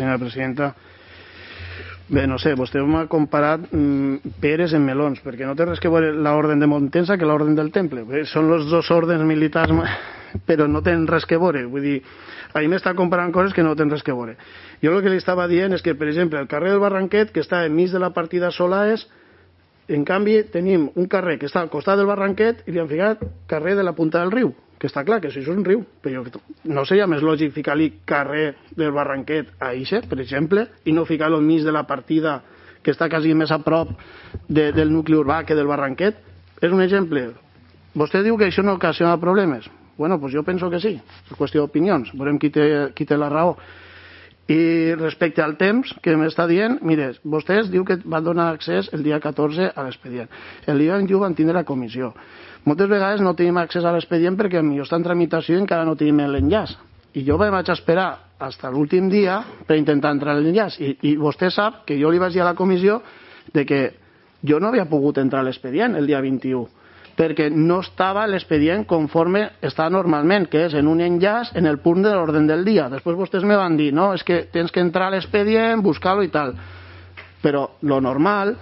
Senyora presidenta, bé, no sé, vostè m'ha comparat peres amb melons, perquè no té res que veure l'ordre de Montensa que l'ordre del Temple. Bé, són els dos ordres militars, però no tenen res que veure. Vull dir, ahir m'està comparant coses que no tenen res que veure. Jo el que li estava dient és que, per exemple, el carrer del Barranquet, que està enmig de la partida Solaes, en canvi tenim un carrer que està al costat del Barranquet i li han ficat carrer de la Punta del Riu, que està clar que això és un riu, però no seria més lògic ficar-li carrer del Barranquet a Ixe, per exemple, i no ficar-lo enmig de la partida que està quasi més a prop del nucli urbà que del Barranquet? És un exemple. Vostè diu que això no ocasiona problemes. Bueno, pues jo penso que sí, és qüestió d'opinions, veurem qui té la raó. I respecte al temps que m'està dient, mire, vostès diu que van donar accés el dia 14 a l'expedient. El dia 21 van tindre la comissió. Moltes vegades no tenim accés a l'expedient perquè potser està en tramitació i encara no tenim l'enllaç. I jo vaig esperar fins a l'últim dia per intentar entrar a l'enllaç. I vostè sap que jo li vaig dir a la comissió de que jo no havia pogut entrar a l'expedient el dia 21 perquè no estava l'expedient conforme està normalment, que és en un enllaç en el punt de l'ordre del dia. Després vostès me van dir, no, és que tens que entrar a l'expedient, buscar-lo i tal. Però lo normal,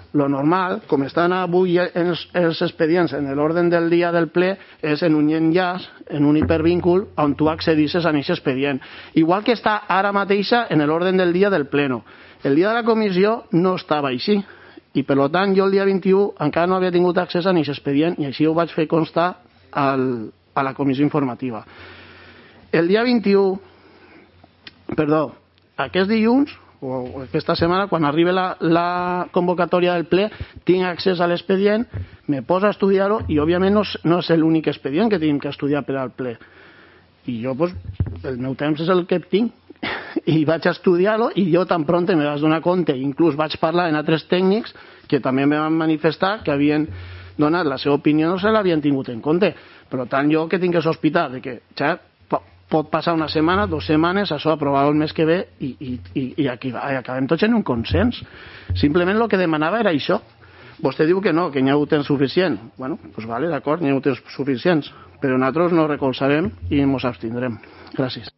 com estan avui els expedients en l'ordre del dia del ple, és en un enllaç, en un hipervínculo, on tu accedisses a aquest expedient. Igual que està ara mateixa en l'ordre del dia del pleno. El dia de la comissió no estava així. I per tant jo el dia 21 encara no havia tingut accés a aquest expedient i així ho vaig fer constar a la comissió informativa. El dia 21, aquest dilluns o aquesta setmana, quan arribi la convocatòria del ple, tinc accés a l'expedient, me poso a estudiar-ho i òbviament no és l'únic expedient que tenim que estudiar per al ple. I jo, el meu temps és el que tinc. I vaig estudiar-ho i jo tan pront me vaig donar compte, inclús vaig parlar amb altres tècnics que també me van manifestar que havien donat la seva opinió, no se l'havien tingut en compte. Per tant, jo que tinc que sospitar de que ja pot passar una setmana, 2 setmanes, això aprovar el mes que ve i acabem tots en un consens. Simplement el que demanava era això. Vostè diu que no, que n'hi ha hagut temps suficient. Bueno, doncs vale, d'acord, n'hi ha hagut temps suficients, però nosaltres no recolzarem i ens abstindrem. Gràcies.